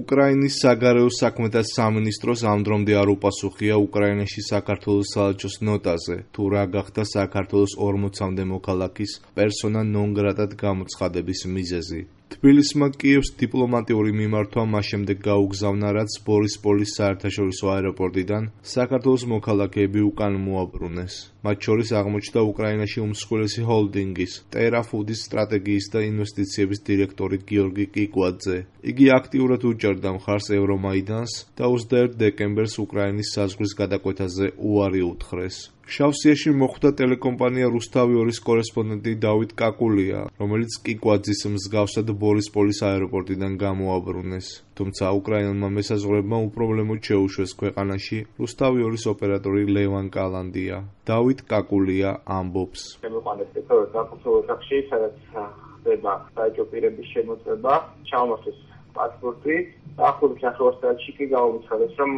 უკრაინის საგარეო საქმეთა სამინისტროს ამ დრომდე არ უპასუხია უკრაინაში საქართველოს საელჩოს ნოტაზე, თუ რა გახდა საქართველოს 40-მდე მოქალაქის პერსონა ნონ გრატად გამოცხადების მიზეზი. თბილისმა კიევს დიპლომატიური მიმართვა მას შემდეგ გაუგზავნა, რაც ბორისპოლის საერთაშორისო აეროპორტიდან საქართველოს მოქალაქეები უკან მოაბრუნეს. მათ შორის აღმოჩნდა უკრაინაში უმსხვილესი ჰოლდინგის ტერაფუდის სტრატეგიის და ინვესტიციების დირექტორი გიორგი კიკვაძე. იგი აქტიურად უჭერდა მხარს ევრომაიდანს და 21 დეკემბერს უკრაინის საზღვრის გადაკვეთაზე უარი უთხრეს. შავსიაში მოხვდა ტელეკომპანია რუსთავი 2-ის კორესპონდენტი დავით კაკულია, რომელიც კიკვაძის მსგავსად ბორისპოლის აეროპორტიდან გამოაბრუნეს. თუმცა უკრაინელმა მესაზღვრეებმა უპრობლემოდ შეუშვეს ქვეყანაში რუსთავი 2-ის ოპერატორი ლევან კალანდია. დავით კაკულია ამბობს. პასპორტი ახალ სახელოსტატში კი გამოცხადეს, რომ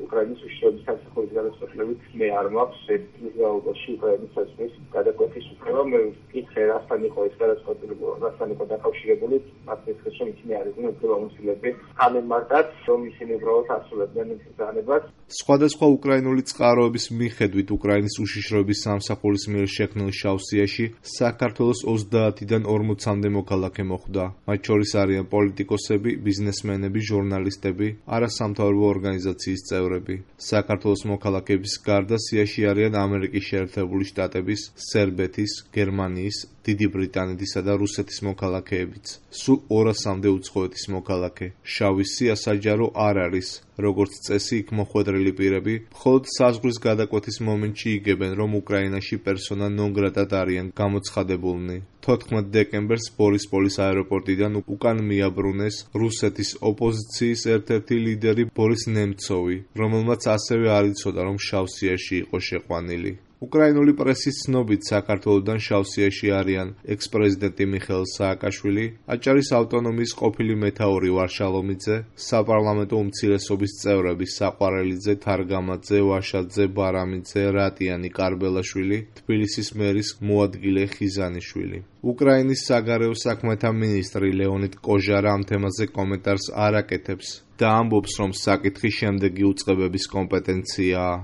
უკრაინის უშიშროების სამსახურის გადაწყვეტილებით მე არ მაქვს ევროპაში უკრაინის საზღვრის გადაკვეთის უფლება. მე ვკითხე, რასთან იყო ეს გადაწყვეტილება, რასთან იყო დაკავშირებული, მათ მისცეს, რომ ისინი არ იყვნენ უფლებამოსილები ამემართად, რომ ისინი უბრალოდ ასრულებდნენ იმ ბრძანებას. სხვადასხვა უკრაინული წყაროების მიხედვით უკრაინის უშიშროების სამსახურის მიერ შექმნილ შავსიაში საქართველოს 30-დან 40-მდე მოქალაქე მოხვდა. მათ შორის არიან პოლიტიკოსები, ბიზნესმენები, ჟურნალისტები, არასამთავრობო ორგანიზაციის წევრები. საქართველოს მოქალაქეების გარდა სიაში არიან ამერიკის შეერთებული შტატების, სერბეთის, გერმანიის, დიდი ბრიტანეთისა და რუსეთის მოქალაქეებიც. სულ 200-მდე უცხოეთის მოქალაქე. შავის სია საჯარო არ არის. როგორც წესი, იქ მოხვედრილი პირები მხოლოდ საზღვრის გადაკვეთის მომენტში იგებენ, რომ უკრაინაში პერსონა ნონ გრატად არიან გამოცხადებულნი. 14 დეკემბერს ბორისპოლის აეროპორტიდან უკან მიაბრუნეს რუსეთის ოპოზიციის ერთ-ერთი ლიდერი ბორის ნემცოვი, რომელმაც ასევე არ იცოდა, რომ შავსიაში იყო შეყვანილი. უკრაინული პრესის ცნობით საქართველოდან შავსიაში არიან ექს-პრეზიდენტი მიხეილ სააკაშვილი, აჭარის ავტონომიის ყოფილი მეთაური ვარშალომიძე, საპარლამენტო უმცირესობის წევრები საყვარელიძე, თარგამაძე, ვაშაძე, ბარამიძე, რატიანი, კარბელაშვილი, თბილისის მერის მოადგილე ხიზანიშვილი. უკრაინის საგარეო საქმეთა მინისტრი ლეონიდ კოჟარა ამ თემაზე კომენტარს არ აკეთებს და ამბობს, რომ საკითხი შემდეგი უწყებების კომპეტენციაა.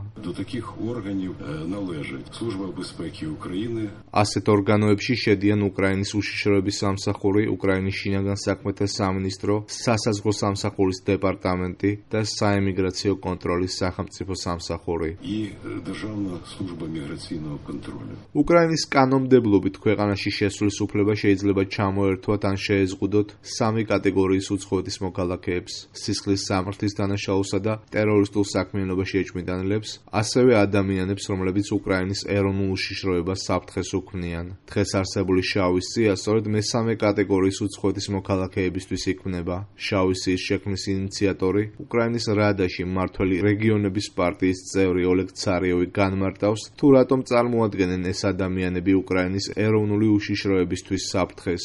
ასეთ ორგანოებში შედიან უკრაინის უშიშროების სამსახური, უკრაინის შინაგან საქმეთა სამინისტრო, სასაზღვრო სამსახურის დეპარტამენტი და საემიგრაციო კონტროლის სახელმწიფო სამსახური. უკრაინის კანონმდებლობით ქვეყანაში შესვლის უფლება შეიძლება ჩამოერთვათ ან შეეზღუდოთ 3 კატეგორიის უცხოეთის მოქალაქეებს: სისხლის სამართლის დანაშაულსა და ტერორისტულ საქმიანობაში ეჭვმიტანილებს, ასევე ადამიანებს, რომლებიც უკრაინის ეროვნულ უშიშროებას საფრთხეს უქმნიან. დღეს არსებული შავის სია სწორედ მესამე კატეგორიის უცხოეთის მოქალაქეებისთვის იქმნება. შავის სიის შექმნის ინიციატორი, უკრაინის რადაში მმართველი რეგიონების პარტიის წევრი ოლეგ ცარიოვი განმარტავს, თუ რატომ წარმოადგენენ ეს ადამიანები უკრაინის ეროვნული უშიშროებისთვის საფრთხეს.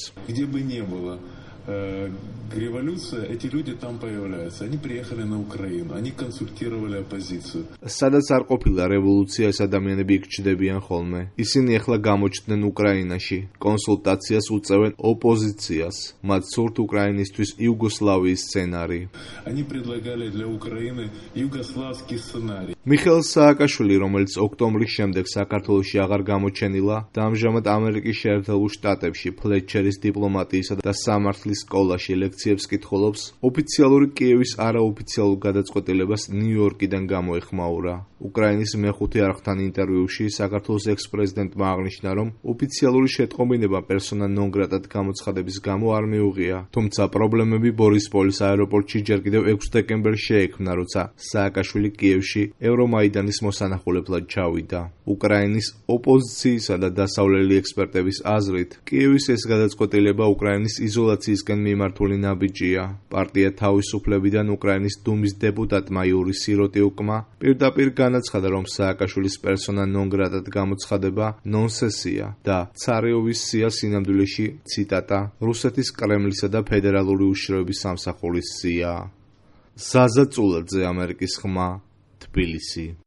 Революция, эти люди там появляются. Они приехали на Украину, они консультировали оппозицию. სადაც არ ყოფილა რევოლუცია, ეს ადამიანები იქ ჩნდებიან ხოლმე. ისინი ახლა გამოჩნდნენ უკრაინაში, კონსულტაციას უწევენ ოპოზიციას. მათ სურთ უკრაინისთვის იუგოსლავიის სცენარი. Они предлагали для Украины югославский сценарий. მიხეილ სააკაშვილი, რომელიც ოქტომბრის შემდეგ საქართველოში აღარ გამოჩენილა და ამჟამად ამერიკის შეერთებულ შტატებში ფლეტჩერის დიპლომატიისა და სამართლის სკოლაში ლექციებს კითხულობს, ოფიციალური კიევის არაოფიციალურ გადაწყვეტილებას ნიუ-იორკიდან გამოეხმაურა. უკრაინის მეხუთე არხთან ინტერვიუში საქართველოს ექს-პრეზიდენტმა აღნიშნა, რომ ოფიციალური შეტყობინება პერსონა ნონ გრატად გამოცხადების გამო არ მიუღია. თუმცა პრობლემები ბორისპოლის აეროპორტში ჯერ კიდევ 6 დეკემბერს შეექმნა, როცა სააკაშვილი კიევში ევრომაიდანის მოსანახულებლად ჩავიდა. უკრაინის ოპოზიციისა და დასავლელი ექსპერტების აზრით, კიევის ეს გადაწყვეტილება უკრაინის იზოლაციისკენ მიმართული ნაბიჯია. პარტია თავისუფლებიდან უკრაინის დუმის დეპუტატმა იური სიროტიუკმა პირდაპირ განაცხადა, რომ სააკაშვილის პერსონა ნონ გრატად გამოცხადება ნონსენსია და ცარიოვის სია სინამდვილეში, ციტატა, რუსეთის კრემლისა და ფედერალური უშიშროების სამსახურის სიაა. ზაზა წულაძე, ამერიკის ხმა, თბილისი.